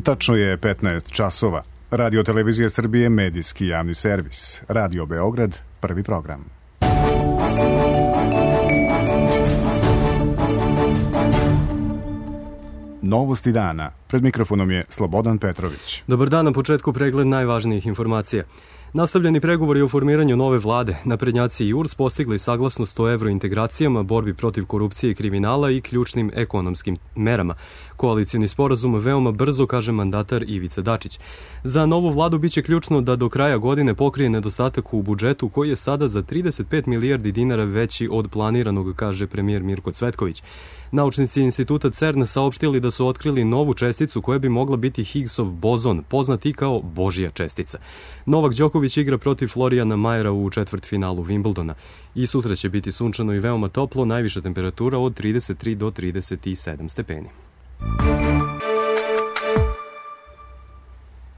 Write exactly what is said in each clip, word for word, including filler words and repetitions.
Tačno je petnaest časova. Radio Televizija Srbije, medijski javni servis. Radio Beograd, prvi program. Novosti dana. Pred mikrofonom je Slobodan Petrović. Dobar dan, na početku pregled najvažnijih informacija. Nastavljeni pregovori o formiranju nove vlade, naprednjaci i U R S postigli saglasnost o evrointegracijama, borbi protiv korupcije i kriminala i ključnim ekonomskim merama. Koalicijni sporazum veoma brzo, kaže mandatar Ivica Dačić. Za novu vladu biće ključno da do kraja godine pokrije nedostatak u budžetu koji je sada za trideset pet milijardi dinara veći od planiranog, kaže premijer Mirko Cvetković. Naučnici instituta CERN saopštili da su otkrili novu česticu koja bi mogla biti Higgsov bozon, poznat i kao Božja čestica. Novak Đoković igra protiv Florijana Majera u četvrtfinalu Wimbledona. I sutra će biti sunčano i veoma toplo, najviša temperatura od trideset tri do trideset sedam stepeni.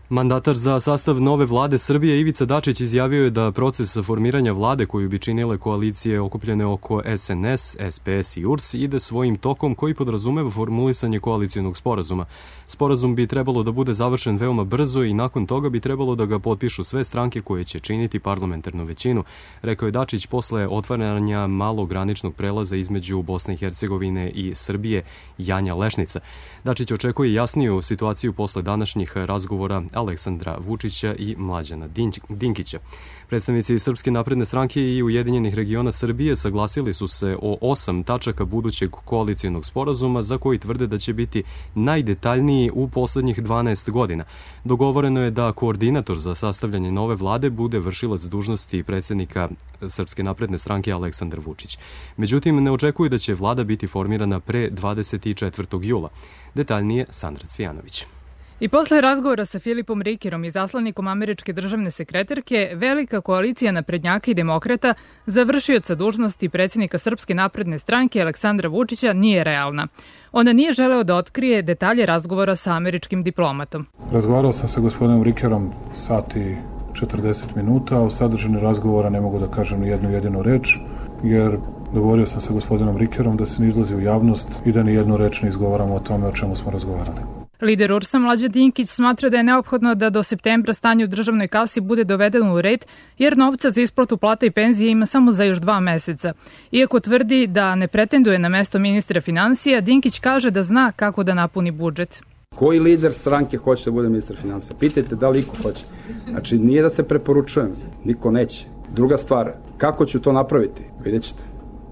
Mandatar za sastav nove vlade Srbije Ivica Dačić izjavio je da proces formiranja vlade koju bi činile koalicije okupljene oko S N S, S P S i U R S ide svojim tokom koji podrazumeva formulisanje koalicionog sporazuma. Sporazum bi trebalo da bude završen veoma brzo i nakon toga bi trebalo da ga potpišu sve stranke koje će činiti parlamentarnu većinu, rekao je Dačić posle otvaranja malog graničnog prelaza između Bosne i Hercegovine i Srbije Janja Lešnica. Dačić očekuje jasniju situaciju posle današnjih razgovora Aleksandra Vučića i Mlađana Dinkića. Predstavnici Srpske napredne stranke i Ujedinjenih regiona Srbije saglasili su se o osam tačaka budućeg koalicijonog sporazuma za koji tvrde da će biti najdetaljniji u poslednjih dvanaest godina. Dogovoreno je da koordinator za sastavljanje nove vlade bude vršilac dužnosti predsednika Srpske napredne stranke Aleksandar Vučić. Međutim, ne očekuju da će vlada biti formirana pre dvadeset četvrtog jula. Detaljnije Sandra Cvijanović. I posle razgovora sa Filipom Rikerom i zaslanikom američke državne sekretarke, velika koalicija naprednjaka i demokrata, završioca dužnosti predsjednika Srpske napredne stranke Aleksandra Vučića, nije realna. Ona nije želeo da otkrije detalje razgovora sa američkim diplomatom. Razgovarao sam sa gospodinom Rikerom sat i četrdeset minuta, a o sadržini razgovora ne mogu da kažem ni jednu jedinu reč, jer dogovorio sam sa gospodinom Rikerom da se ne izlazi u javnost i da ni jednu reč ne izgovaramo o tome o čemu smo razgovarali. Lider U R S-a Mlađan Dinkić smatra da je neophodno da do septembra stanje u državnoj kasi bude dovedeno u red, jer novca za isplatu plata i penzije ima samo za još dva meseca. Iako tvrdi da ne pretenduje na mesto ministra finansija, Dinkić kaže da zna kako da napuni budžet. Koji lider stranke hoće da bude ministar finansija? Pitajte da li iko hoće. Znači, nije da se preporučujem, niko neće. Druga stvar, kako ću to napraviti? Vidjet ćete.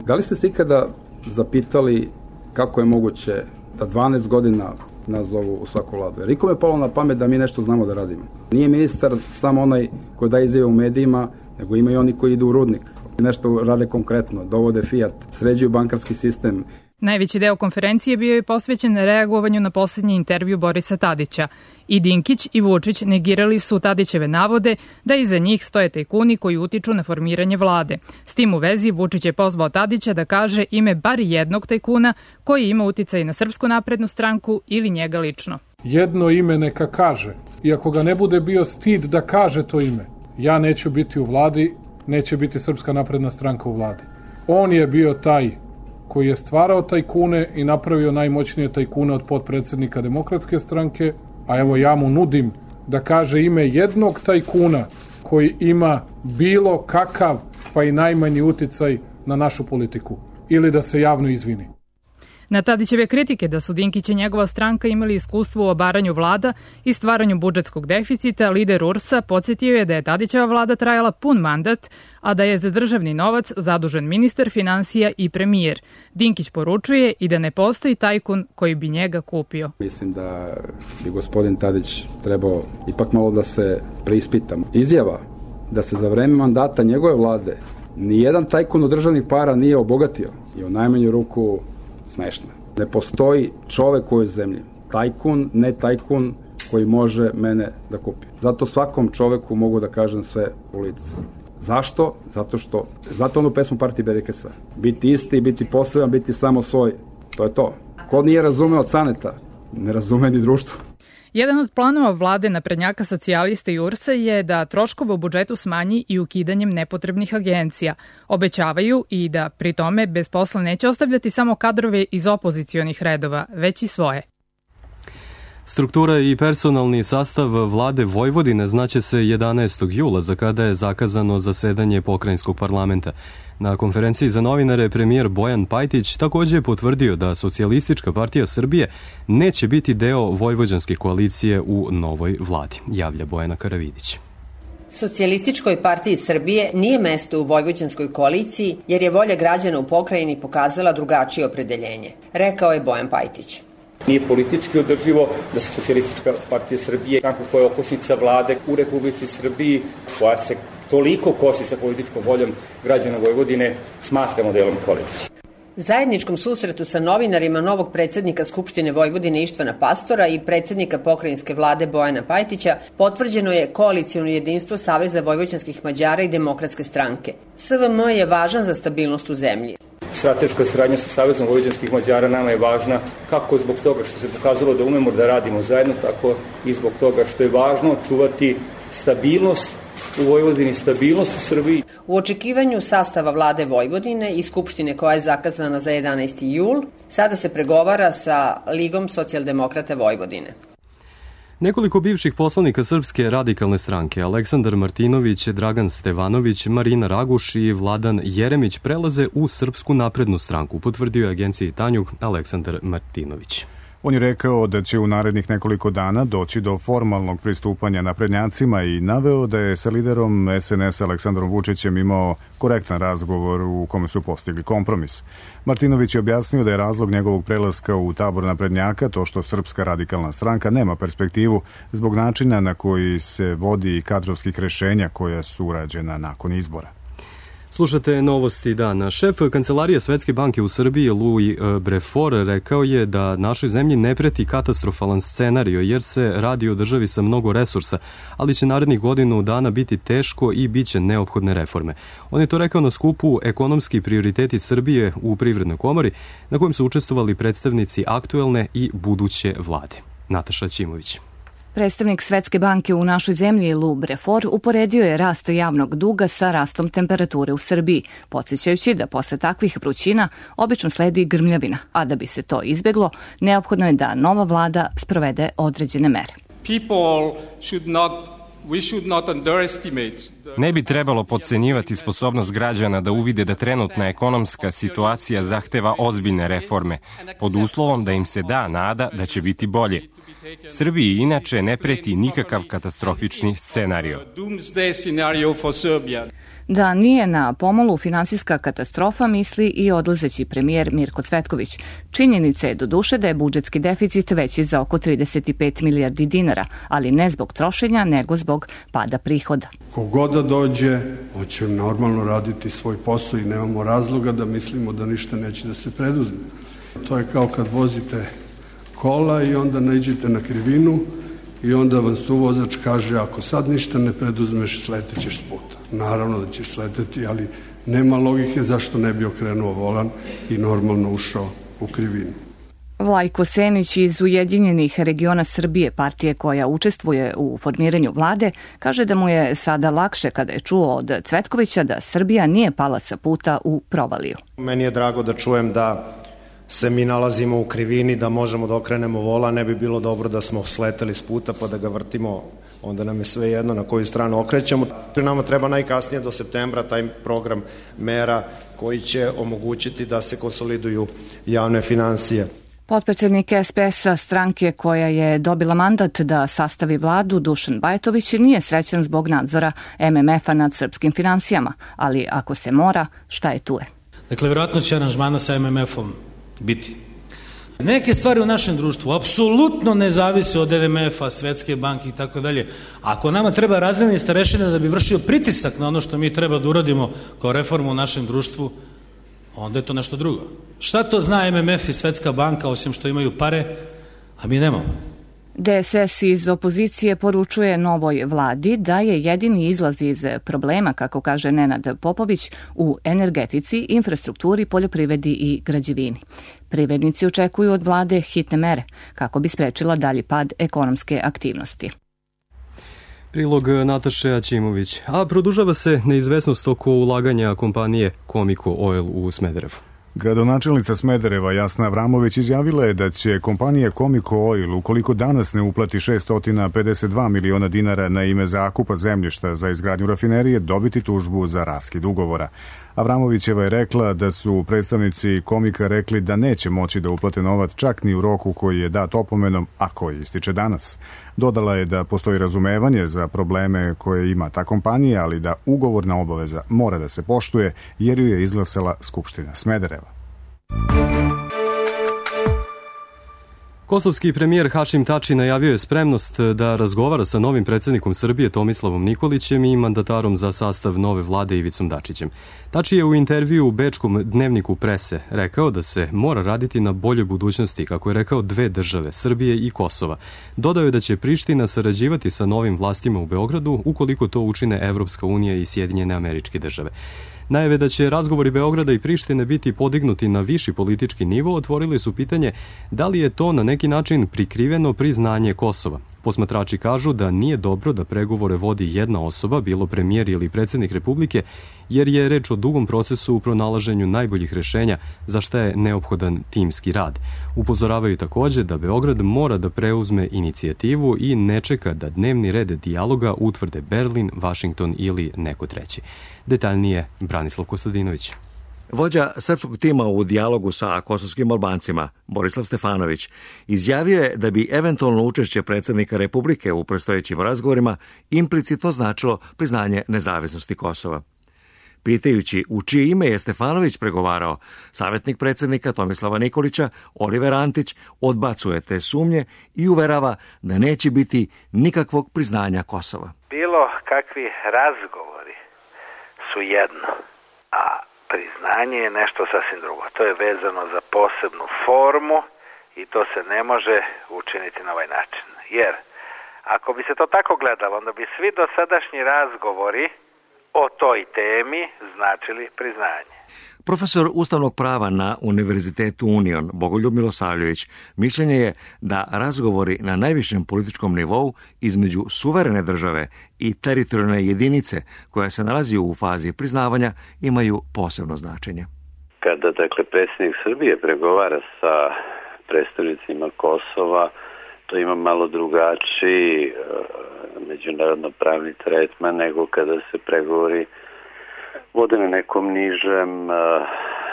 Da li ste se ikada zapitali kako je moguće da dvanaest godina nas zovu u svaku vladu? Jer ikome je palo na pamet da mi nešto znamo da radimo. Nije ministar samo onaj koji daje izjave u medijima, nego ima i oni koji idu u rudnik. Nešto rade konkretno, dovode Fiat, sređuju bankarski sistem. Najveći deo konferencije bio je posvećen reagovanju na poslednji intervju Borisa Tadića. I Dinkić i Vučić negirali su Tadićeve navode da iza njih stoje tajkuni koji utiču na formiranje vlade. S tim u vezi Vučić je pozvao Tadića da kaže ime bar jednog tajkuna koji ima uticaj na Srpsku naprednu stranku ili njega lično. Jedno ime neka kaže. I ako ga ne bude bio stid da kaže to ime, ja neću biti u vladi, neće biti Srpska napredna stranka u vladi. On je bio taj koji je stvarao tajkune i napravio najmoćnije tajkune od potpredsednika Demokratske stranke, a evo ja mu nudim da kaže ime jednog tajkuna koji ima bilo kakav pa i najmanji uticaj na našu politiku ili da se javno izvini. Na Tadićeve kritike da su Dinkić i njegova stranka imali iskustvo u obaranju vlada i stvaranju budžetskog deficita, lider U R S-a podsjetio je da je Tadićeva vlada trajala pun mandat, a da je za državni novac zadužen ministar finansija i premijer. Dinkić poručuje i da ne postoji tajkun koji bi njega kupio. Mislim da bi gospodin Tadić trebao ipak malo da se preispita. Izjava da se za vreme mandata njegove vlade nijedan tajkun od državnih para nije obogatio i u najmanju ruku smešno. Ne postoji čovek u ovoj zemlji, tajkun, ne tajkun, koji može mene da kupi. Zato svakom čoveku mogu da kažem sve u lice. Zašto? Zato što, zato onu pesmu Partije Berikesa. Biti isti, biti poseban, biti samo svoj. To je to. Ko nije razumeo od Caneta, ne razume ni društvo. Jedan od planova vlade naprednjaka socijalista i U R S-a je da troškove u budžetu smanji i ukidanjem nepotrebnih agencija. Obećavaju i da pri tome bez posla neće ostavljati samo kadrove iz opozicionih redova, već i svoje. Struktura i personalni sastav vlade Vojvodine znaće se jedanaestog jula, za kada je zakazano zasedanje pokrajinskog parlamenta. Na konferenciji za novinare premijer Bojan Pajtić također je potvrdio da Socijalistička partija Srbije neće biti deo vojvođanske koalicije u novoj vladi, javlja Bojana Karavidić. Socijalističkoj partiji Srbije nije mesto u vojvođanskoj koaliciji jer je volja građana u pokrajini pokazala drugačije opredeljenje, rekao je Bojan Pajtić. Nije politički održivo da se Socijalistička partija Srbije, kako koja je okosnica vlade u Republici Srbiji, koja se toliko kosi sa političkom voljom građana Vojvodine, smatramo delom koalicije. Zajedničkom susretu sa novinarima novog predsednika Skupštine Vojvodine Ištvana Pastora i predsednika pokrajinske vlade Bojana Pajtića potvrđeno je koalicijono jedinstvo Saveza vojvođanskih Mađara i Demokratske stranke. S V M je važan za stabilnost u zemlji. Strateška saradnja sa Savezom vojvođanskih Mađara nama je važna kako zbog toga što se pokazalo da umemo da radimo zajedno, tako i zbog toga što je važno čuvati stabilnost u Vojvodini, stabilnost u Srbiji. U očekivanju sastava vlade Vojvodine i Skupštine koja je zakazana za jedanaesti jul, sada se pregovara sa Ligom socijaldemokrata Vojvodine. Nekoliko bivših poslanika Srpske radikalne stranke, Aleksandar Martinović, Dragan Stevanović, Marina Raguš i Vladan Jeremić prelaze u Srpsku naprednu stranku, potvrdio je agenciji Tanjug Aleksandar Martinović. On je rekao da će u narednih nekoliko dana doći do formalnog pristupanja naprednjacima i naveo da je sa liderom S N S Aleksandrom Vučićem imao korektan razgovor u kome su postigli kompromis. Martinović je objasnio da je razlog njegovog prelaska u tabor naprednjaka to što Srpska radikalna stranka nema perspektivu zbog načina na koji se vodi kadrovskih rešenja koja su urađena nakon izbora. Slušate novosti dana. Šef Kancelarije Svetske banke u Srbiji, Louis Brefort, rekao je da našoj zemlji ne preti katastrofalan scenario jer se radi o državi sa mnogo resursa, ali će narednih godinu dana biti teško i bit će neophodne reforme. On je to rekao na skupu Ekonomski prioriteti Srbije u Privrednoj komori, na kojem su učestvovali predstavnici aktuelne i buduće vlade. Nataša Ćimović. Predstavnik Svetske banke u našoj zemlji, Lou Brefort, uporedio je rast javnog duga sa rastom temperature u Srbiji, podsjećajući da posle takvih vrućina obično sledi grmljavina, a da bi se to izbeglo, neophodno je da nova vlada sprovede određene mere. Ne bi trebalo podcenjivati sposobnost građana da uvide da trenutna ekonomska situacija zahteva ozbiljne reforme, pod uslovom da im se da nada da će biti bolje. Srbiji inače ne preti nikakav katastrofični scenario. Da nije na pomolu finansijska katastrofa, misli i odlazeći premijer Mirko Cvetković. Činjenica je doduše da je budžetski deficit veći za oko trideset pet milijardi dinara, ali ne zbog trošenja, nego zbog pada prihoda. Kogod da dođe, hoće normalno raditi svoj posao i nemamo razloga da mislimo da ništa neće da se preduzme. To je kao kad vozite kola i onda naiđete na krivinu i onda vam suvozač kaže ako sad ništa ne preduzmeš, sletećeš s puta. Naravno da ćeš sleteti, ali nema logike zašto ne bi okrenuo volan i normalno ušao u krivinu. Vlajko Senić iz Ujedinjenih regiona Srbije, partije koja učestvuje u formiranju vlade, kaže da mu je sada lakše kada je čuo od Cvetkovića da Srbija nije pala sa puta u provaliju. Meni je drago da čujem da se mi nalazimo u krivini, da možemo da okrenemo vola, ne bi bilo dobro da smo sleteli s puta pa da ga vrtimo, onda nam je sve jedno na koju stranu okrećemo. Nama treba najkasnije do septembra taj program mera koji će omogućiti da se konsoliduju javne finansije. Potpredsednik S P S-a, stranke koja je dobila mandat da sastavi vladu, Dušan Bajatović, nije srećan zbog nadzora M M F-a nad srpskim finansijama, ali ako se mora, šta je tu je? Dakle, vjerojatno će aranžmana sa M M F-om biti. Neke stvari u našem društvu apsolutno ne zavise od M M F-a, Svetske banke i tako dalje. Ako nama treba razredni starešina da bi vršio pritisak na ono što mi treba da uradimo kao reformu u našem društvu, onda je to nešto drugo. Šta to zna M M F i Svetska banka osim što imaju pare, a mi nemamo? D S S iz opozicije poručuje novoj vladi da je jedini izlaz iz problema, kako kaže Nenad Popović, u energetici, infrastrukturi, poljoprivredi i građevini. Privrednici očekuju od vlade hitne mere kako bi sprečila dalji pad ekonomske aktivnosti. Prilog Nataše Aćimović. A produžava se neizvesnost oko ulaganja kompanije Comico Oil u Smederevu. Gradonačelnica Smedereva Jasna Avramović izjavila je da će kompanija Comico Oil, ukoliko danas ne uplati šesto pedeset dva miliona dinara na ime zakupa zemljišta za izgradnju rafinerije, dobiti tužbu za raskid ugovora. Avramovićeva je rekla da su predstavnici Komika rekli da neće moći da uplate novac čak ni u roku koji je dat opomenom, a koji ističe danas. Dodala je da postoji razumevanje za probleme koje ima ta kompanija, ali da ugovorna obaveza mora da se poštuje jer ju je izglasala Skupština Smedereva. Kosovski premijer Hašim Tači najavio je spremnost da razgovara sa novim predsjednikom Srbije Tomislavom Nikolićem i mandatarom za sastav nove vlade Ivicom Dačićem. Tači je u intervju u bečkom dnevniku Prese rekao da se mora raditi na boljoj budućnosti, kako je rekao, dve države, Srbije i Kosova. Dodao je da će Priština sarađivati sa novim vlastima u Beogradu ukoliko to učine Evropska unija i Sjedinjene Američke Države. Najave da će razgovori Beograda i Prištine biti podignuti na viši politički nivo otvorili su pitanje da li je to na neki način prikriveno priznanje Kosova. Posmatrači kažu da nije dobro da pregovore vodi jedna osoba, bilo premijer ili predsjednik Republike, jer je reč o dugom procesu u pronalaženju najboljih rešenja za šta je neophodan timski rad. Upozoravaju također da Beograd mora da preuzme inicijativu i ne čeka da dnevni red dijaloga utvrde Berlin, Vašington ili neko treći. Detaljnije Branislav Kostadinović. Vođa srpskog tima u dijalogu sa kosovskim Albancima, Borislav Stefanović, izjavio je da bi eventualno učešće predsjednika Republike u predstojećim razgovorima implicitno značilo priznanje nezavisnosti Kosova. Pitajući u čije ime je Stefanović pregovarao, savjetnik predsjednika Tomislava Nikolića, Oliver Antić, odbacuje te sumnje i uverava da neće biti nikakvog priznanja Kosova. Bilo kakvi razgovori su jedno, a priznanje je nešto sasvim drugo. To je vezano za posebnu formu i to se ne može učiniti na ovaj način. Jer ako bi se to tako gledalo, onda bi svi dosadašnji razgovori o toj temi značili priznanje. Profesor ustavnog prava na Univerzitetu Union, Bogoljub Milosavljević, mišljenje je da razgovori na najvišem političkom nivou između suverene države i teritorijalne jedinice koja se nalazi u fazi priznavanja imaju posebno značenje. Kada, dakle, predsjednik Srbije pregovara sa predstavnicima Kosova, to ima malo drugačiji međunarodno pravni tretman nego kada se pregovori vode na nekom nižem uh,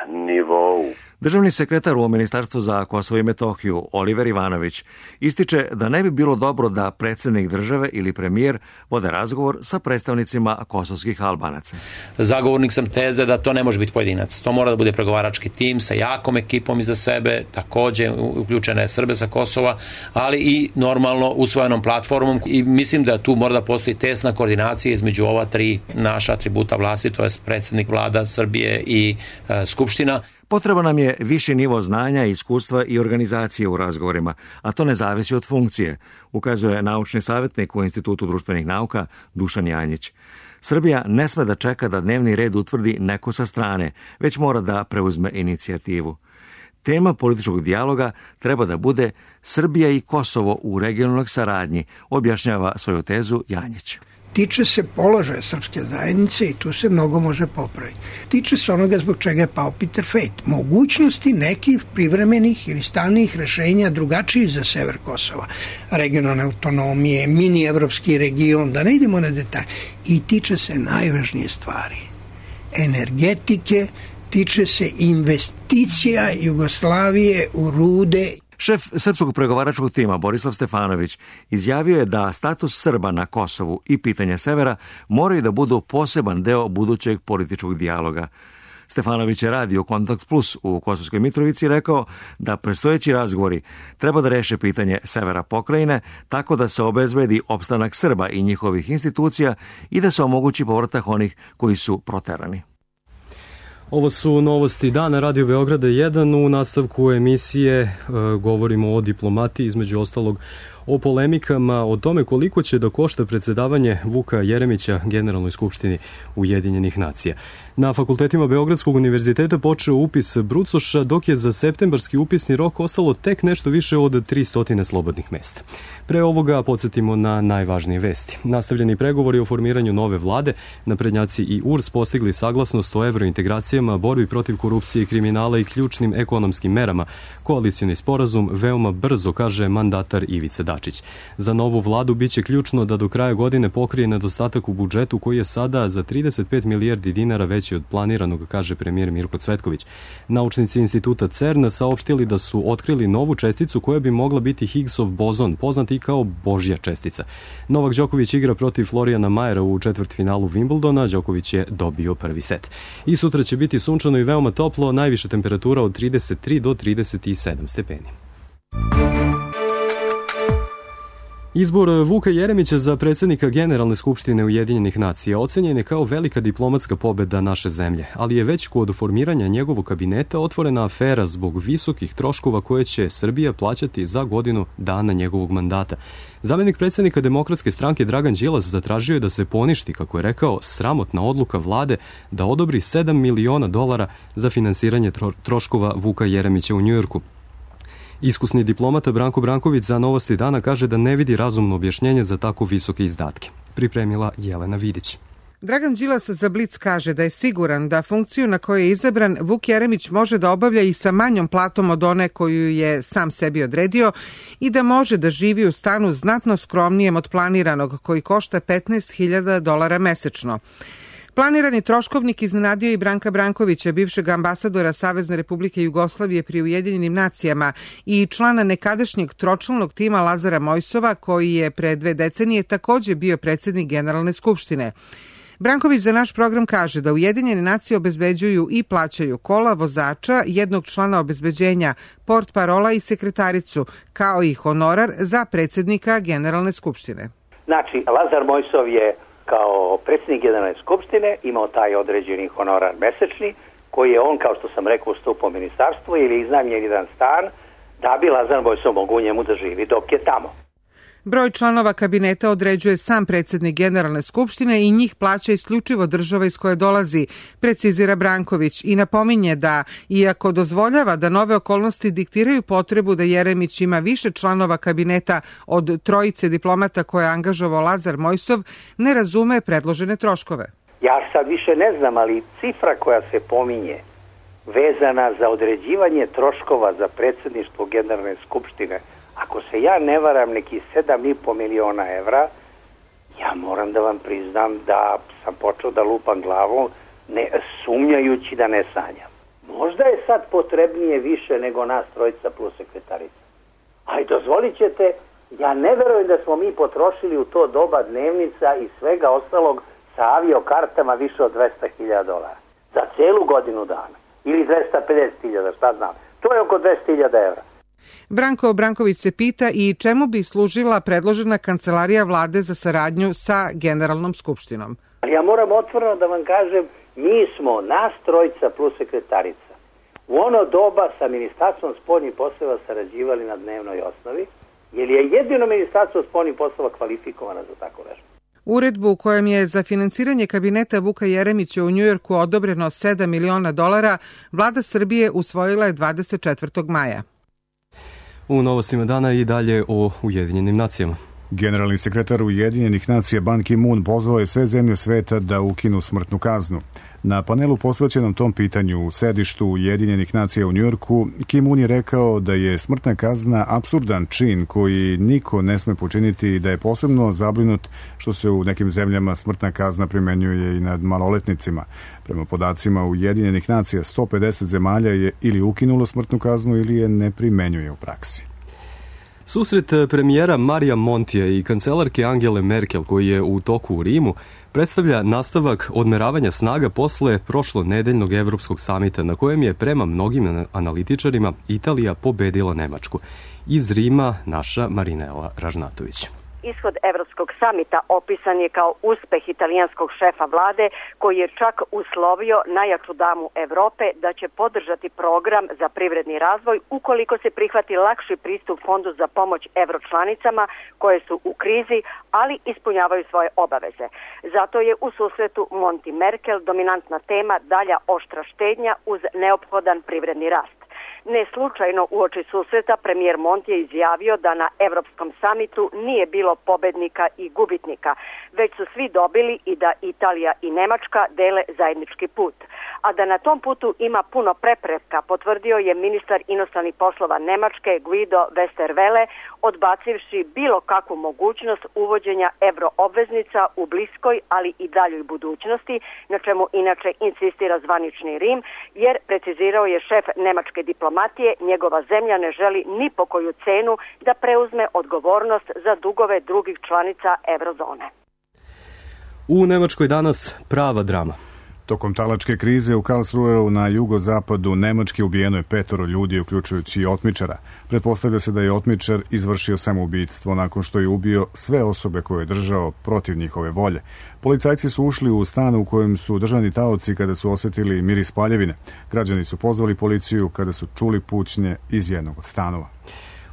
nivou. Državni sekretar u Ministarstvu za Kosovo i Metohiju, Oliver Ivanović, ističe da ne bi bilo dobro da predsjednik države ili premijer vode razgovor sa predstavnicima kosovskih Albanaca. Zagovornik sam teze da to ne može biti pojedinac. To mora da bude pregovarački tim sa jakom ekipom iza sebe, također uključene Srbe sa Kosova, ali i normalno usvojenom platformom. I mislim da tu mora da postoji tesna koordinacija između ova tri naša atributa vlasti, to je predsjednik vlada Srbije i e, Skupština. Potreban nam je viši nivo znanja, iskustva i organizacije u razgovorima, a to ne zavisi od funkcije, ukazuje naučni savjetnik u Institutu društvenih nauka Dušan Janjić. Srbija ne sme da čeka da dnevni red utvrdi neko sa strane, već mora da preuzme inicijativu. Tema političkog dijaloga treba da bude Srbija i Kosovo u regionalnoj saradnji, objašnjava svoju tezu Janjić. Tiče se položaja srpske zajednice i tu se mnogo može popraviti. Tiče se onoga zbog čega je pao Peter Fejt. Mogućnosti nekih privremenih ili stalnih rešenja drugačijih za sever Kosova. Regionalne autonomije, mini evropski region, da ne idemo na detalje. I tiče se najvažnije stvari. Energetike, tiče se investicija Jugoslavije u rude. Šef srpskog pregovaračkog tima Borislav Stefanović izjavio je da status Srba na Kosovu i pitanje severa moraju da budu poseban deo budućeg političkog dijaloga. Stefanović je radio Kontakt Plus u Kosovskoj Mitrovici rekao da predstojeći razgovori treba da reše pitanje severa pokrajine tako da se obezbedi opstanak Srba i njihovih institucija i da se omogući povratak onih koji su proterani. Ovo su novosti dana Radio Beograda jedan. U nastavku emisije e, govorimo o diplomatiji, između ostalog o polemikama o tome koliko će da košta predsedavanje Vuka Jeremića Generalnoj skupštini Ujedinjenih nacija. Na fakultetima Beogradskog univerziteta počeo upis brucoša, dok je za septembarski upisni rok ostalo tek nešto više od tristo slobodnih mesta. Pre ovoga podsjetimo na najvažnije vesti. Nastavljeni pregovori o formiranju nove vlade, naprednjaci i U R S postigli saglasnost o evrointegracijama, borbi protiv korupcije i kriminala i ključnim ekonomskim merama. Koalicioni sporazum veoma brzo, kaže mandatar Ivica Dačić. Za novu vladu biće ključno da do kraja godine pokrije nedostatak u budžetu koji je sada za trideset pet milijardi dinara veći od planiranog, kaže premijer Mirko Cvetković. Naučnici instituta CERN saopštili da su otkrili novu česticu koja bi mogla biti Higgsov bozon, poznat i kao Božja čestica. Novak Đoković igra protiv Florijana Majera u četvrtfinalu Wimbledona, Đoković je dobio prvi set. I sutra će biti sunčano i veoma toplo, najviša temperatura od trideset tri do trideset sedam stepeni. Izbor Vuka Jeremića za predsjednika Generalne skupštine Ujedinjenih nacija ocenjen je kao velika diplomatska pobeda naše zemlje, ali je već kod formiranja njegovog kabineta otvorena afera zbog visokih troškova koje će Srbija plaćati za godinu dana njegovog mandata. Zamenik predsjednika Demokratske stranke Dragan Đilas zatražio je da se poništi, kako je rekao, sramotna odluka vlade da odobri sedam miliona dolara za finansiranje tro- troškova Vuka Jeremića u Njujorku. Iskusni diplomata Branko Branković za Novosti dana kaže da ne vidi razumno objašnjenje za tako visoke izdatke. Pripremila Jelena Vidić. Dragan Đilas za Blic kaže da je siguran da funkciju na kojoj je izabran Vuk Jeremić može da obavlja i sa manjom platom od one koju je sam sebi odredio i da može da živi u stanu znatno skromnijem od planiranog, koji košta petnaest hiljada dolara mesečno. Planirani troškovnik iznenadio i Branka Brankovića, bivšeg ambasadora Savezne Republike Jugoslavije pri Ujedinjenim nacijama i člana nekadašnjeg tročlanog tima Lazara Mojsova, koji je pre dve decenije takođe bio predsjednik Generalne skupštine. Branković za naš program kaže da Ujedinjene nacije obezbeđuju i plaćaju kola, vozača, jednog člana obezbeđenja, portparola i sekretaricu, kao i honorar za predsjednika Generalne skupštine. Znači, Lazar Mojsov je kao predsjednik Generalne skupštine imao taj određeni honorar mesečni, koji je on, kao što sam rekao, ustupao ministarstvu ili iznajmljen jedan stan, da bi Lazar Mojsov mogu u njemu da živi dok je tamo. Broj članova kabineta određuje sam predsjednik Generalne skupštine i njih plaća isključivo država iz koje dolazi, precizira Branković, i napominje da, iako dozvoljava da nove okolnosti diktiraju potrebu da Jeremić ima više članova kabineta od trojice diplomata koje je angažovao Lazar Mojsov, ne razume predložene troškove. Ja sad više ne znam, ali cifra koja se pominje vezana za određivanje troškova za predsjedništvo Generalne skupštine, ako se ja ne varam, neki sedam i po miliona evra, ja moram da vam priznam da sam počeo da lupam glavom, ne, sumnjajući da ne sanjam. Možda je sad potrebnije više nego nas trojica plus sekretarica. Ali dozvolit ćete, ja ne verujem da smo mi potrošili u to doba dnevnica i svega ostalog sa aviokartama više od dvesta hiljada dolara. Za celu godinu dana. Ili dvesta pedeset hiljada, šta znam. To je oko dvesta hiljada evra. Branko Branković se pita i čemu bi služila predložena kancelarija vlade za saradnju sa Generalnom skupštinom. Ja moram otvoreno da vam kažem, mi smo nas trojica plus sekretarica u ono doba sa Ministarstvom spoljnih poslova sarađivali na dnevnoj osnovi, jer je jedino Ministarstvo spoljnih poslova kvalifikovano za tako nešto. Uredbu u kojem je za finansiranje kabineta Vuka Jeremića u Njujorku odobreno sedam miliona dolara, vlada Srbije usvojila je dvadeset četvrtog maja. U novostima dana i dalje o Ujedinjenim nacijama. Generalni sekretar Ujedinjenih nacija Ban Ki-moon pozvao je sve zemlje sveta da ukinu smrtnu kaznu. Na panelu posvećenom tom pitanju u sedištu Ujedinjenih nacija u Njujorku, Ki-moon je rekao da je smrtna kazna apsurdan čin koji niko ne sme počiniti i da je posebno zabrinut što se u nekim zemljama smrtna kazna primenjuje i nad maloletnicima. Prema podacima Ujedinjenih nacija, sto pedeset zemalja je ili ukinulo smrtnu kaznu ili je ne primenjuje u praksi. Susret premijera Marija Montija i kancelarke Angele Merkel, koji je u toku u Rimu, predstavlja nastavak odmeravanja snaga posle prošlonedeljnog evropskog samita, na kojem je prema mnogim analitičarima Italija pobedila Nemačku. Iz Rima naša Marinela Ražnatović. ishod Evropskog samita opisan je kao uspeh italijanskog šefa vlade koji je čak uslovio najjaču damu Evrope da će podržati program za privredni razvoj ukoliko se prihvati lakši pristup fondu za pomoć evročlanicama koje su u krizi, ali ispunjavaju svoje obaveze. Zato je u susretu Monti Merkel dominantna tema dalja oštra štednja uz neophodan privredni rast. Ne slučajno uoči susreta premijer Monti je izjavio da na Evropskom samitu nije bilo pobednika i gubitnika, već su svi dobili i da Italija i Nemačka dele zajednički put. A da na tom putu ima puno prepreka, potvrdio je ministar inostranih poslova Nemačke Guido Westerwelle, odbacivši bilo kakvu mogućnost uvođenja evroobveznica u bliskoj, ali i daljoj budućnosti, na čemu inače insistira zvanični Rim, jer precizirao je šef nemačke diplomatije, njegova zemlja ne želi ni po koju cenu da preuzme odgovornost za dugove drugih članica eurozone. U Nemačkoj danas prava drama. Tokom talačke krize u Karlsruheu na jugozapadu Nemačke ubijeno je petoro ljudi, uključujući i otmičara. Pretpostavlja se da je otmičar izvršio samoubistvo nakon što je ubio sve osobe koje je držao protiv njihove volje. Policajci su ušli u stan u kojem su držani taoci kada su osjetili miris paljevine. Građani su pozvali policiju kada su čuli pućnje iz jednog od stanova.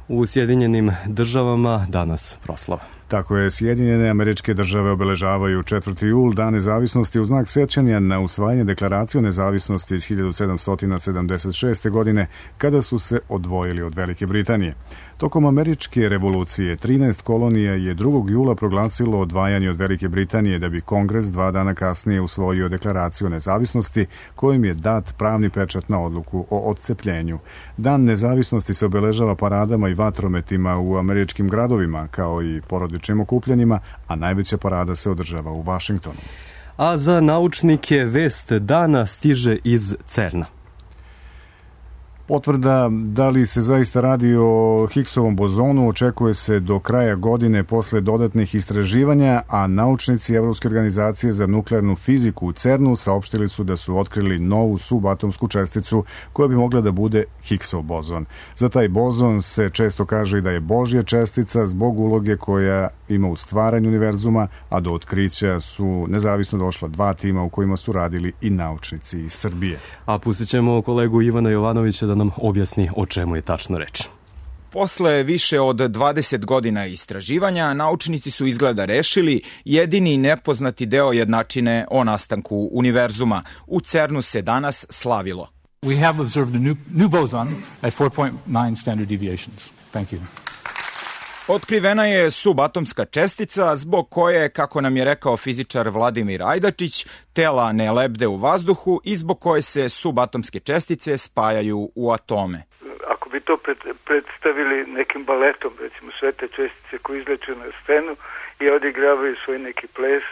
U Sjedinjenim državama danas proslava. Tako je, Sjedinjene Američke Države obeležavaju četvrti jul, Dan nezavisnosti, u znak sećanja na usvajanje deklaracije o nezavisnosti iz hiljadu sedamsto sedamdeset šeste. godine, kada su se odvojili od Velike Britanije. Tokom Američke revolucije, trinaest kolonija je drugog jula proglasilo odvajanje od Velike Britanije, da bi Kongres dva dana kasnije usvojio deklaraciju o nezavisnosti, kojim je dat pravni pečat na odluku o odcepljenju. Dan nezavisnosti se obeležava paradama i vatrometima u američkim gradovima, kao i porodičnim okupljanjima, a najveća parada se održava u Vašingtonu. A za naučnike vest dana stiže iz CERN-a. Potvrda da li se zaista radi o Higgsovom bozonu očekuje se do kraja godine posle dodatnih istraživanja, a naučnici Evropske organizacije za nuklearnu fiziku u CERN-u saopštili su da su otkrili novu subatomsku česticu koja bi mogla da bude Higgsov bozon. Za taj bozon se često kaže i da je Božja čestica zbog uloge koja ima u stvaranju univerzuma, a do otkrića su nezavisno došla dva tima u kojima su radili i naučnici iz Srbije. A pustit ćemo kolegu Ivana Jovanovića da nam objasni o čemu je tačno reč. Posle više od dvadeset godina istraživanja, naučnici su izgleda rešili jedini nepoznati deo jednačine o nastanku univerzuma. U CERN-u se danas slavilo. We have observed a new, new boson at four point nine standard deviations. Thank you. Otkrivena je subatomska čestica zbog koje, kako nam je rekao fizičar Vladimir Ajdačić, tela ne lebde u vazduhu i zbog koje se subatomske čestice spajaju u atome. Ako bi to predstavili nekim baletom, recimo sve te čestice koje izleću na scenu i odigravaju svoj neki ples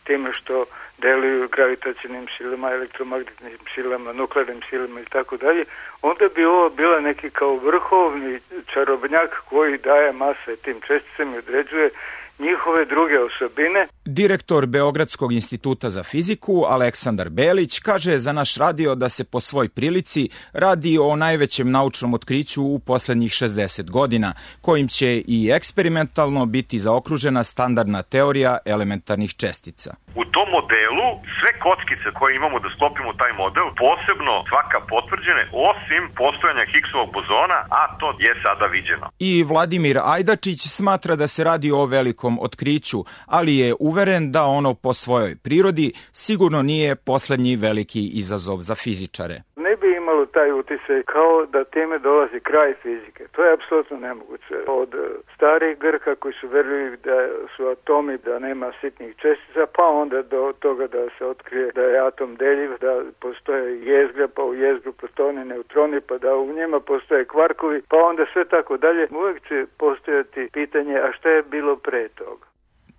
time što deluju gravitacionim silama, elektromagnetnim silama, nuklearnim silama i tako dalje, onda bi ovo bila neki kao vrhovni čarobnjak koji daje mase tim česticama i određuje njihove druge osobine. Direktor Beogradskog instituta za fiziku, Aleksandar Belić, kaže za naš radio da se po svoj prilici radi o najvećem naučnom otkriću u poslednjih šezdeset godina, kojim će i eksperimentalno biti zaokružena standardna teorija elementarnih čestica. U tom modelu sve kockice koje imamo da sklopimo taj model, posebno svaka potvrđene, osim postojanja Higgsovog bozona, a to je sada viđeno. I Vladimir Ajdačić smatra da se radi o velikom otkriću, ali je uveren da ono po svojoj prirodi sigurno nije poslednji veliki izazov za fizičare. Ne bi imalo taj utisaj kao da time dolazi kraj fizike. To je apsolutno nemoguće. Od starih Grka koji su verili da su atomi, da nema sitnih čestica, pa onda do toga da se otkrije da je atom deljiv, da postoje jezgra, pa u jezgru protoni, neutroni, pa da u njima postoje kvarkovi, pa onda sve tako dalje. Uvijek će postojati pitanje, a šta je bilo pre toga?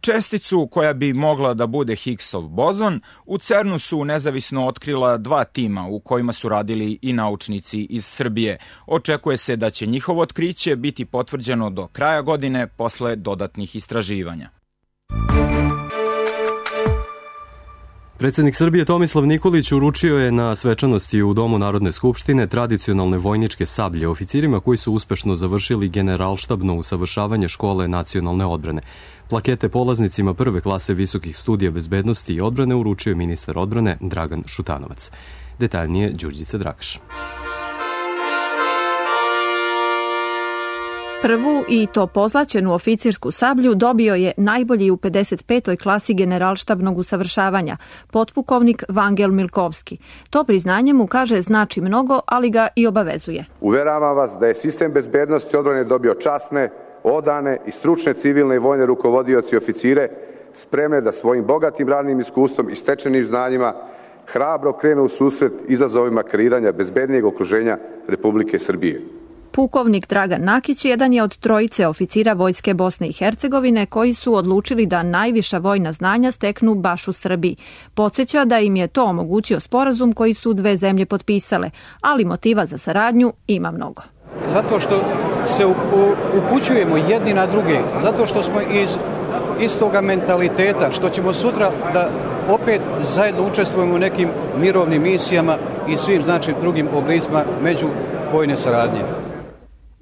Česticu koja bi mogla da bude Higgsov bozon u CERN-u su nezavisno otkrila dva tima u kojima su radili i naučnici iz Srbije. Očekuje se da će njihovo otkriće biti potvrđeno do kraja godine posle dodatnih istraživanja. Predsjednik Srbije Tomislav Nikolić uručio je na svečanosti u Domu Narodne skupštine tradicionalne vojničke sablje oficirima koji su uspešno završili generalštabno usavršavanje škole nacionalne odbrane. Plakete polaznicima prve klase visokih studija bezbednosti i odbrane uručio je ministar odbrane Dragan Šutanovac. Detaljnije Đurđica Dragaš. Prvu i to pozlaćenu oficirsku sablju dobio je najbolji u pedeset petoj klasi generalštabnog usavršavanja, potpukovnik Vangel Milkovski. To priznanje mu, kaže, znači mnogo, ali ga i obavezuje. Uveravam vas da je sistem bezbednosti odbrane dobio časne, odane i stručne civilne i vojne rukovodioci i oficire spremne da svojim bogatim radnim iskustvom i stečenim znanjima hrabro krenu u susret izazovima kreiranja bezbednijeg okruženja Republike Srbije. Pukovnik Dragan Nakić jedan je od trojice oficira Vojske Bosne i Hercegovine koji su odlučili da najviša vojna znanja steknu baš u Srbiji. Podsjeća da im je to omogućio sporazum koji su dve zemlje potpisale, ali motiva za saradnju ima mnogo. Zato što se upućujemo jedni na druge, zato što smo iz istoga mentaliteta, što ćemo sutra da opet zajedno učestvujemo u nekim mirovnim misijama i svim znači drugim oblicima međuvojne saradnje.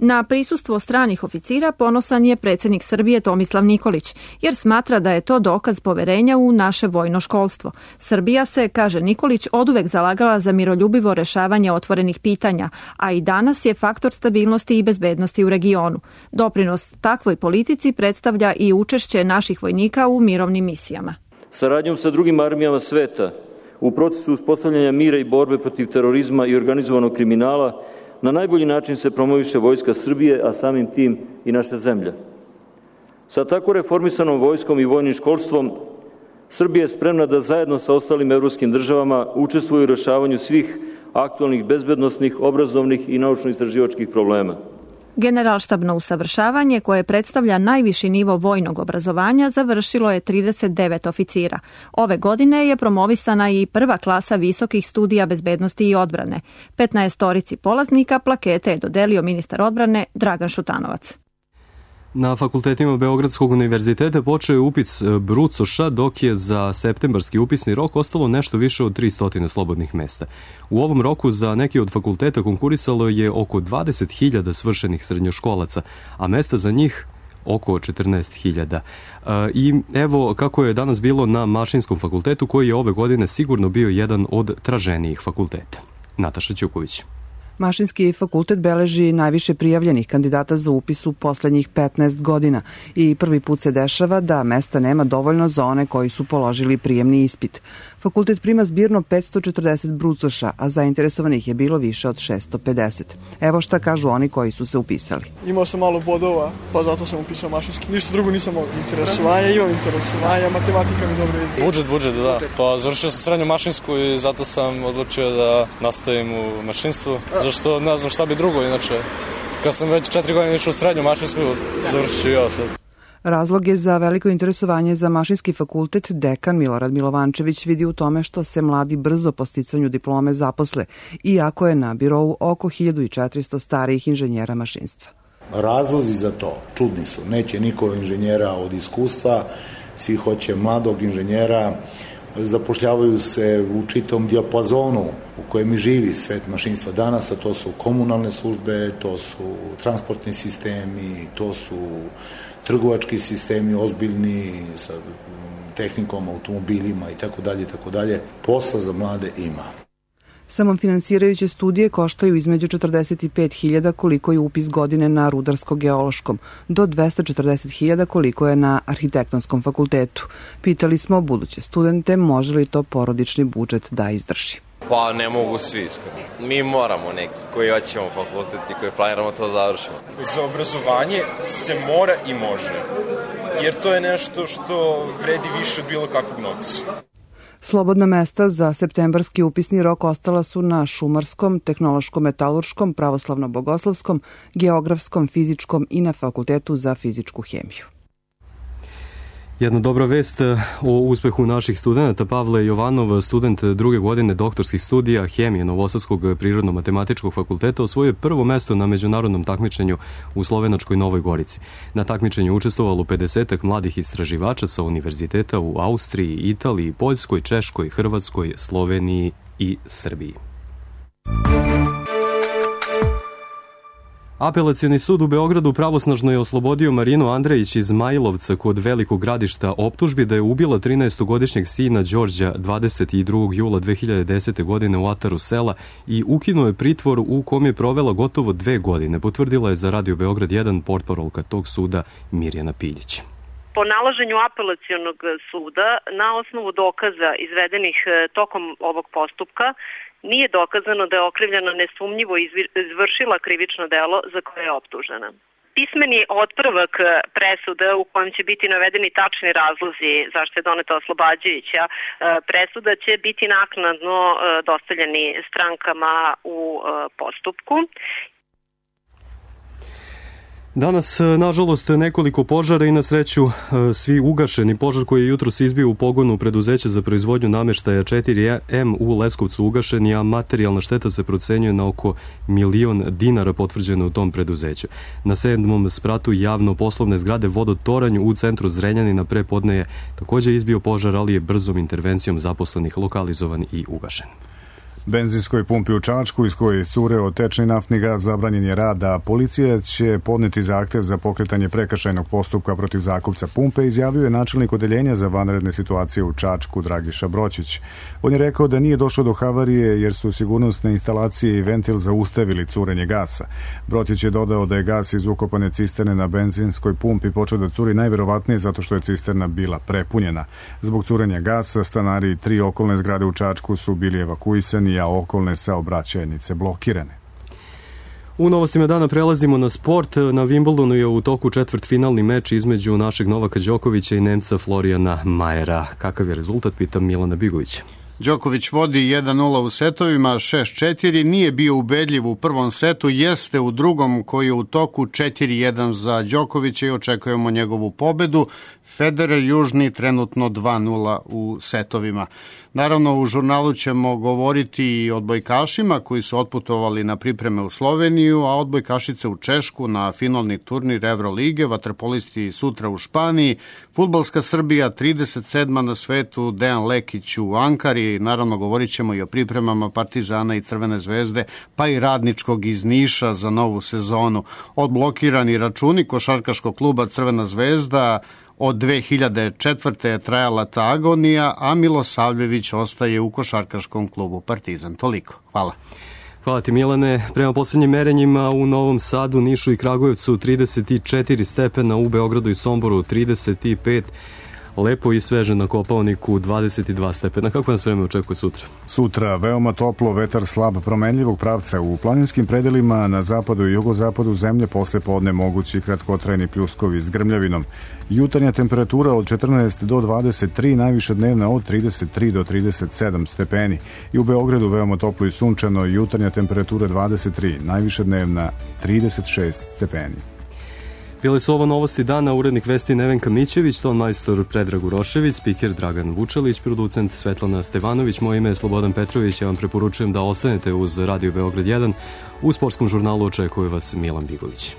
Na prisustvo stranih oficira ponosan je predsjednik Srbije Tomislav Nikolić, jer smatra da je to dokaz poverenja u naše vojno školstvo. Srbija se, kaže Nikolić, oduvek zalagala za miroljubivo rešavanje otvorenih pitanja, a i danas je faktor stabilnosti i bezbednosti u regionu. Doprinos takvoj politici predstavlja i učešće naših vojnika u mirovnim misijama. Saradnjom sa drugim armijama sveta u procesu uspostavljanja mira i borbe protiv terorizma i organizovanog kriminala na najbolji način se promoviše Vojska Srbije, a samim tim i naša zemlja. Sa tako reformisanom vojskom i vojnim školstvom, Srbija je spremna da zajedno sa ostalim evropskim državama učestvuje u rešavanju svih aktualnih bezbednosnih, obrazovnih i naučno-istraživačkih problema. Generalštabno usavršavanje, koje predstavlja najviši nivo vojnog obrazovanja, završilo je trideset devet oficira. Ove godine je promovisana i prva klasa visokih studija bezbednosti i odbrane. petnaestorici polaznika plakete je dodelio ministar odbrane Dragan Šutanovac. Na fakultetima Beogradskog univerziteta počeo je upis brucoša, dok je za septembarski upisni rok ostalo nešto više od tristo slobodnih mesta. U ovom roku za neki od fakulteta konkurisalo je oko dvadeset hiljada svršenih srednjoškolaca, a mesta za njih oko četrnaest hiljada. I evo kako je danas bilo na Mašinskom fakultetu, koji je ove godine sigurno bio jedan od traženijih fakulteta. Nataša Ćuković. Mašinski fakultet beleži najviše prijavljenih kandidata za upis u poslednjih petnaest godina i prvi put se dešava da mesta nema dovoljno za one koji su položili prijemni ispit. Fakultet prima zbirno petsto četrdeset brucoša, a zainteresovanih je bilo više od šesto pedeset. Evo šta kažu oni koji su se upisali. Imao sam malo bodova, pa zato sam upisao mašinski. Ništa drugo nisam mogao. Interesovanja, imam interesovanja, matematika mi dobro ide. Budžet, budžet, da. Pa završio sam srednju mašinsku i zato sam odlučio da nastavim u mašinstvu. Zašto ne znam šta bi drugo, inače kad sam već četiri godine išao u srednju mašinsku, završio ja sad. Razlog je za veliko interesovanje za Mašinski fakultet dekan Milorad Milovančević vidi u tome što se mladi brzo po sticanju diplome zaposle, iako je na birovu oko hiljadu četiristo starijih inženjera mašinstva. Razlozi za to čudni su. Neće niko inženjera od iskustva, svi hoće mladog inženjera, zapošljavaju se u čitom dijapazonu u kojem živi svet mašinstva danas, a to su komunalne službe, to su transportni sistemi, to su trgovački sistemi ozbiljni sa tehnikom, automobilima i tako dalje, tako dalje. Posla za mlade ima. Samofinansirajuće studije koštaju između četrdeset pet hiljada koliko je upis godine na Rudarsko-geološkom, do dvesta četrdeset hiljada koliko je na Arhitektonskom fakultetu. Pitali smo buduće studente može li to porodični budžet da izdrži. Pa ne mogu svi iskreno. Mi moramo neki koji hoćemo fakultet i koji planiramo to završimo. Za obrazovanje se mora i može, jer to je nešto što vredi više od bilo kakvog novca. Slobodna mesta za septembarski upisni rok ostala su na Šumarskom, Tehnološko-metalurškom, Pravoslavno-bogoslovskom, Geografskom, Fizičkom i na Fakultetu za fizičku hemiju. Jedna dobra vest o uspehu naših studenta. Pavle Jovanov, student druge godine doktorskih studija hemije Novosadskog prirodno-matematičkog fakulteta, osvojio prvo mesto na međunarodnom takmičenju u slovenačkoj Novoj Gorici. Na takmičenju učestvovalo pedesetak mladih istraživača sa univerziteta u Austriji, Italiji, Poljskoj, Češkoj, Hrvatskoj, Sloveniji i Srbiji. Apelacioni sud u Beogradu pravosnažno je oslobodio Marinu Andrejić iz Majlovca kod Velikog Gradišta optužbi da je ubila trinaestogodišnjeg sina Đorđa dvadeset drugog jula dve hiljade desete. godine u ataru sela i ukinuo je pritvor u kom je provela gotovo dve godine, potvrdila je za Radio Beograd jedan portparolka tog suda Mirjana Piljić. Po nalaženju apelacionog suda, na osnovu dokaza izvedenih tokom ovog postupka, nije dokazano da je okrivljena nesumnjivo izvršila krivično delo za koje je optužena. Pismeni otpravak presude u kojem će biti navedeni tačni razlozi zašto je doneta oslobađajuća presuda će biti naknadno dostavljeni strankama u postupku. Danas, nažalost, nekoliko požara i na sreću svi ugašeni. Požar koji je jutros izbio u pogonu preduzeća za proizvodnju nameštaja četiri em u Leskovcu ugašen, a materijalna šteta se procenjuje na oko milion dinara potvrđeno u tom preduzeću. Na sedmom spratu javno-poslovne zgrade Vodotoranj u centru Zrenjanina pre podne je takođe izbio požar, ali je brzom intervencijom zaposlenih lokalizovan i ugašen. Benzinskoj pumpi u Čačku iz koje cure od tečni naftni gaz zabranjen je rad, a policija će podneti zahtev za pokretanje prekršajnog postupka protiv zakupca pumpe, izjavio je načelnik odeljenja za vanredne situacije u Čačku Dragiša Broćić. On je rekao da nije došlo do havarije jer su sigurnosne instalacije i ventil zaustavili curenje gasa. Broćić je dodao da je gas iz ukopane cisterne na benzinskoj pumpi počeo da curi najverovatnije zato što je cisterna bila prepunjena. Zbog curenja gasa stanari tri okolne zgrade u Čačku su bili evakuisani, a okolne saobraćajnice blokirane. U novostima dana prelazimo na sport. Na Wimbledonu je u toku četvrtfinalni meč između našeg Novaka Đokovića i Nemca Florijana Majera. Kakav je rezultat, pitam Milana Bigovića. Đoković vodi jedan nula u setovima, šest četiri, nije bio ubedljiv u prvom setu, jeste u drugom koji je u toku četiri jedan za Đokovića i očekujemo njegovu pobedu. Federer Južni trenutno dva nula u setovima. Naravno, u žurnalu ćemo govoriti i o odbojkašima koji su otputovali na pripreme u Sloveniju, a odbojkašice u Češku na finalni turnir Evrolige, vaterpolisti sutra u Španiji, fudbalska Srbija trideset sedma na svetu, Dejan Lekić u Ankari, naravno govorit ćemo i o pripremama Partizana i Crvene zvezde, pa i Radničkog iz Niša za novu sezonu. Odblokirani računi košarkaškog kluba Crvena zvezda, od dve hiljade četvrte je trajala ta agonija, a Milosavljević ostaje u košarkaškom klubu Partizan. Toliko. Hvala. Hvala ti, Milane. Prema poslednjim merenjima u Novom Sadu, Nišu i Kragujevcu trideset četiri stepena, u Beogradu i Somboru trideset pet, lepo i sveže na Kopaoniku dvadeset dva stepena. Kako nas vreme očekuje sutra? Sutra veoma toplo, vetar slab promenljivog pravca u planinskim predelima na zapadu i jugozapadu zemlje, posle podne mogući kratkotrajni pljuskovi s grmljavinom. Jutarnja temperatura od četrnaest do dvadeset tri, najviša dnevna od trideset tri do trideset sedam stepeni. I u Beogradu veoma toplo i sunčano, jutarnja temperatura dvadeset tri, najviša dnevna trideset šest stepeni. Bile su ovo novosti dana, urednik vesti Nevenka Mićević, ton majstor Predrag Urošević, spiker Dragan Vučelić, producent Svetlana Stevanović, moje ime je Slobodan Petrović, ja vam preporučujem da ostanete uz Radio Beograd jedan. U sportskom žurnalu očekuje vas Milan Bigović.